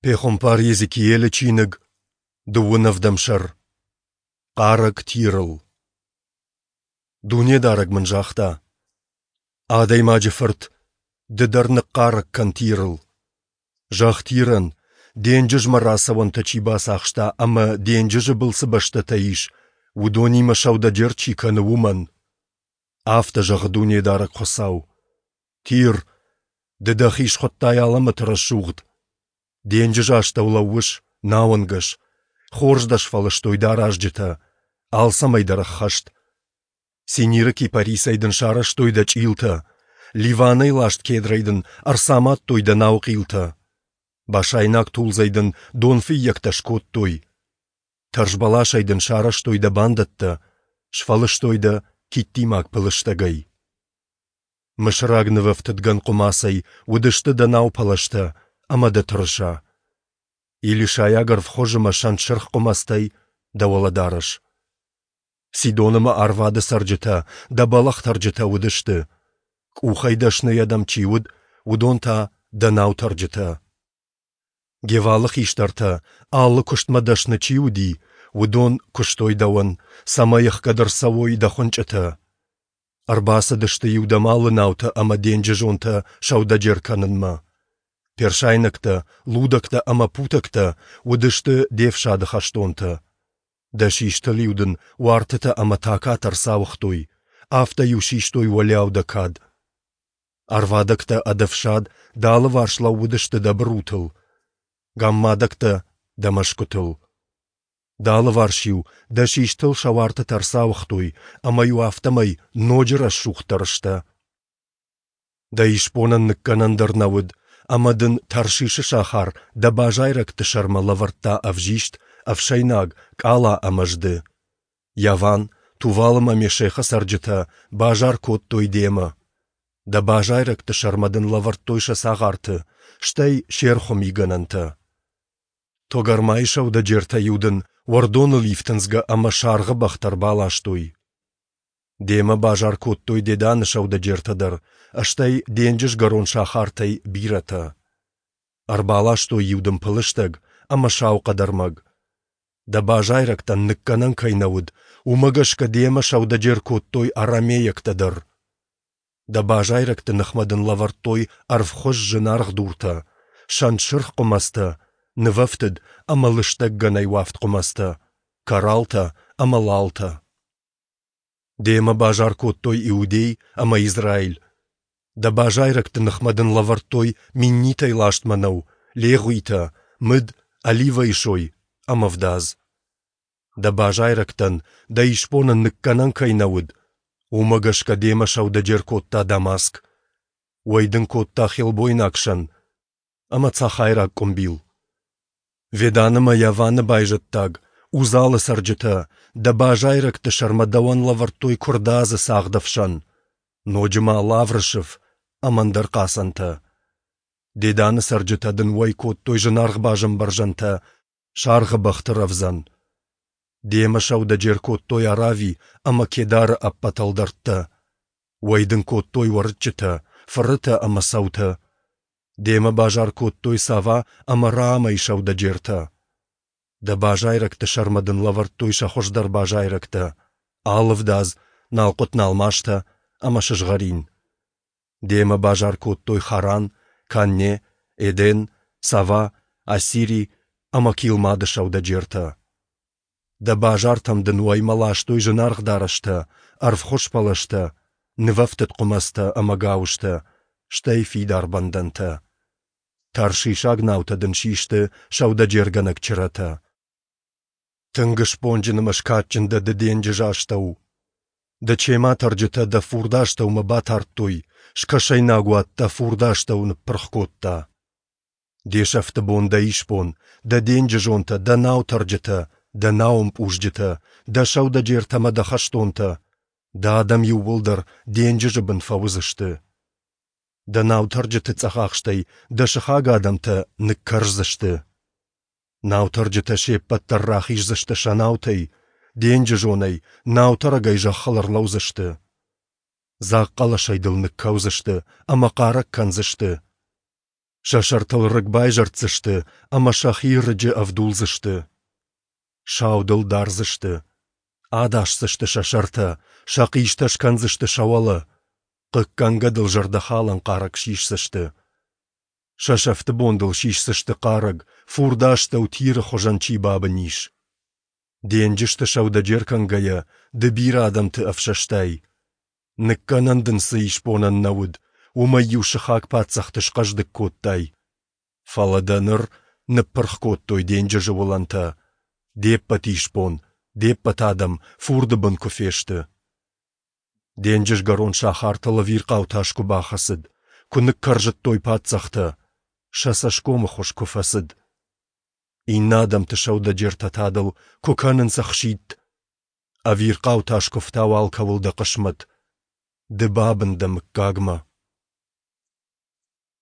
Пехуымпар Йезекиелы чиныг, дыууын ӕвдӕм сӕр. Хъарӕг Тирыл. Дунедарӕг мын загъта: Адӕймаджы фырт, ды дӕр ныхъхъарӕг кӕн Тирыл. Зӕгъ Тирӕн, денджызмӕ рацӕуӕнтӕ чи бацахста ӕмӕ денджызы был цы бӕстӕтӕ ис, уыдонимӕ сӕудӕджер чи кӕны, уымӕн. Афтӕ зӕгъы Дунедарӕг Хуыцау: Тир, ды дӕхи схуыдтай алӕмӕты рӕсугъд. Денджызы астӕу лӕууыс, науӕнгӕс, хорз дӕ сфӕлыстой дӕ аразджытӕ, алцӕмӕй дӕр ӕххӕст. Синиры кипарисӕй дын сарӕзтой дӕ чъилтӕ, Ливанӕй ласт кедрӕй дын ӕрцамадтой дӕ наухъилтӕ. Басайнаг тулдзӕй дын донфыййӕгтӕ скодтой. Тӕрзбӕласӕй дын сарӕзтой дӕ бандӕттӕ, сфӕлыстой дӕ киттимаг пылыстӕгӕй. Мысыраг нывӕфтыдгӕн хъуымацӕй уыдысты дӕ наупӕлӕзтӕ ӕмӕ дӕ тырыса. Елисайаг ӕрвхуыз ӕмӕ сӕнтсырх хъуымӕцтӕй дӕ уӕлӕдарӕс. Сидон ӕмӕ Арвады цӕрджытӕ дӕ бӕлӕгътӕрджытӕ уыдысты. Къухӕй дӕсныйӕ дӕм чи уыд, уыдон та дӕ наутӕрджытӕ. Гевалы хистӕртӕ, алы куыстмӕ дӕсны чи уыди, уыдон куыстой дӕуӕн, цӕмӕй ӕхгӕд ӕрцӕуой дӕ хуынчъытӕ. Ӕрбацыдысты-иу дӕм алы наутӕ ӕмӕ денджызонтӕ сӕудӕджер кӕнынмӕ. Персайнӕгтӕ, лудӕгтӕ ӕмӕ путӕгтӕ уыдысты де фсады хӕстонтӕ. Дӕ систыл-иу дын уартытӕ ӕмӕ такатӕ ӕрцауыгътой, афтӕ-иу систой уӕлиау дӕ кад. Ӕрвадӕгтӕ ӕд ӕфсад дӕ алыварс лӕууыдысты дӕ бырутыл, гаммадӕгтӕ дӕ мӕсгуытыл. Дӕ алыварс-иу дӕ систыл сӕ уартытӕ ӕрцауыгътой, ӕмӕ-иу афтӕмӕй ноджы рӕсугъддӕр сдӕ. Дӕ исбонӕн ныккӕнӕн дӕр нӕ уыд, ӕмӕ дын Таршишы сахар дӕ базайрӕгты сӕрмӕ лӕвӕрдта ӕвзист, ӕфсӕйнаг, къала ӕмӕ зды. Яван, Тувал ӕмӕ Мешехы цӕрджытӕ базар кодтой демӕ. Дӕ базайрӕгты сӕрмӕ дын лӕвӕрдтой сӕ цагъарты, стӕй се рхуы мигӕнӕнтӕ. Тогармайы сӕудӕджертӕ-иу дын уӕрдоныл ифтындзгӕ ӕмӕ саргъы бӕхтӕ ӕрбаластой. Демӕ базар кодтой Деданы сӕудӕджертӕ дӕр, стӕй денджызгӕрон сахартӕй бирӕтӕ. Ӕрбаластой-иу дын пылыстӕг ӕмӕ сау хъӕдӕрмӕг. Дӕ базайрӕгтӕн ныккӕнӕн кӕй нӕ уыд, уымӕ гӕсгӕ демӕ сӕудӕджер кодтой арамейӕгтӕ дӕр. Дӕ базайрӕгты ныхмӕ дын лӕвӕрдтой ӕрвхуыз зынаргъ дуртӕ, сӕнтсырх хъуымӕцтӕ, нывӕфтыд ӕмӕ лыстӕг гӕнӕй уӕфт хъуымӕцтӕ, кораллтӕ ӕмӕ лалтӕ. Демӕ базар кодтой Иудей ӕмӕ Израиль. Дӕ базайрӕгты ныхмӕ дын лӕвӕрдтой миннитӕй ласт мӕнӕу, легъуитӕ, мыд, оливӕйы сой ӕмӕ ӕвдадз. Дӕ базайрӕгтӕн, дӕ исбонӕн ныккӕнӕн кӕй нӕ уыд, уымӕ гӕсгӕ демӕ сӕудӕджер кодта Дамаск. Уӕй дын кодта хелбойнаг сӕн ӕмӕ цӕхӕйраг къуымбил. Ведан ӕмӕ Яваны байзӕддаг, Узалы цӕрджытӕ, дӕ базайрӕгты сӕрмӕ дӕуӕн лӕвӕрдтой куырдадзы цагъд ӕфсӕн, ноджы ма лавры сыф ӕмӕ ӕндӕр хъацӕнтӕ. Деданы цӕрджытӕ дын уӕй кодтой зынаргъ базӕмбӕрзӕнтӕ саргъы бӕхты рӕвдзӕн. Демӕ сӕудӕджер кодтой Арави ӕмӕ Кедары ӕппӕт ӕлдӕрттӕ. Уӕй дын кодтой уӕрыччытӕ, фырытӕ ӕмӕ цӕутӕ. Демӕ базар кодтой Сава ӕмӕ Раамӕйы сӕудӕджертӕ. Дӕ базайрӕгты сӕрмӕ дын лӕвӕрдтой сӕ хуыздӕр базайрӕгтӕ, алывдадз, налхъуыт-налмастӕ ӕмӕ сызгъӕрин. Демӕ базар кодтой Харан, Канне, Эден, Сава, Ассири ӕмӕ Килмады сӕудӕджертӕ. Дӕ базартӕм дын уӕймӕ ластой зынаргъ дарӕстӕ, ӕрвхуыз пӕлӕзтӕ, нывӕфтыд хъуымӕцтӕ ӕмӕ гауызтӕ, стӕй фидар бӕндӕнтӕ. Таршишаг наутӕ дын систы сӕудӕджергӕнӕг чырӕтӕ. Тынг сбонджын ӕмӕ скадджын дӕ ды денджызы астӕу. Дӕ чематӕрджытӕ дӕ фурды астӕумӕ батардтой, скӕсӕйнаг уад дӕ фурды астӕу ныппырх кодта. Де сӕфты бон дӕ исбон, дӕ денджызонтӕ, дӕ наутӕрджытӕ, дӕ науӕмпъузджытӕ, дӕ сӕудӕджертӕ ӕмӕ дӕ хӕстонтӕ, дӕ адӕм иууылдӕр денджызы бын фӕуыдзысты. Дӕ наутӕрджыты цъӕхахстӕй дӕ сыхаг адӕмтӕ ныккӕрздзысты. Наутӕрджытӕ се ппӕт дӕр рахиздзысты сӕ наутӕй, денджызонӕй, наутӕрӕгӕй зӕххыл ӕрлӕудзысты. Дзаг хъӕлӕсӕй дыл ныккӕудзысты ӕмӕ хъарӕг кӕндзысты. Сӕ сӕртыл рыг байзӕрддзысты ӕмӕ сӕхи рыджы ӕвдулдзысты. Сау дыл дардзысты. Адасдзысты сӕ сӕртӕ, сӕ хъистӕ скӕндзысты сӕ уӕлӕ. Хъыггӕнгӕ дыл зӕрдӕхалӕн хъарӕг сисдзысты. Сӕ сӕфты бон дыл сисдзысты хъарӕг, фурды астӕу Тиры хуызӕн чи бабын ис. Денджызты сӕудӕджер кӕнгӕйӕ, ды бирӕ адӕмты ӕфсӕстай. Ныккӕнӕн дын цы исбонӕн нӕ уыд, уымӕй-иу сыхаг паддзӕхты схъӕздыг кодтай. Фӕлӕ дӕ ныр ныппырх кодтой денджызы уылӕнтӕ, де ппӕт исбон, де ппӕт адӕм фурды бын куы фесты. Денджызгӕрон сахартыл ӕвирхъау тас куы бахӕцыд, куы ныккӕрзыдтой паддзӕхтӕ, сӕ цӕсгомы хуыз куы фӕцыд. Иннӕ адӕмты сӕудӕджертӕ та дыл куы кӕнынц ӕхситт. Ӕвирхъау тас куы фтауы алкӕуыл дӕ хъысмӕт. Ды бабын дӕ мыггагмӕ.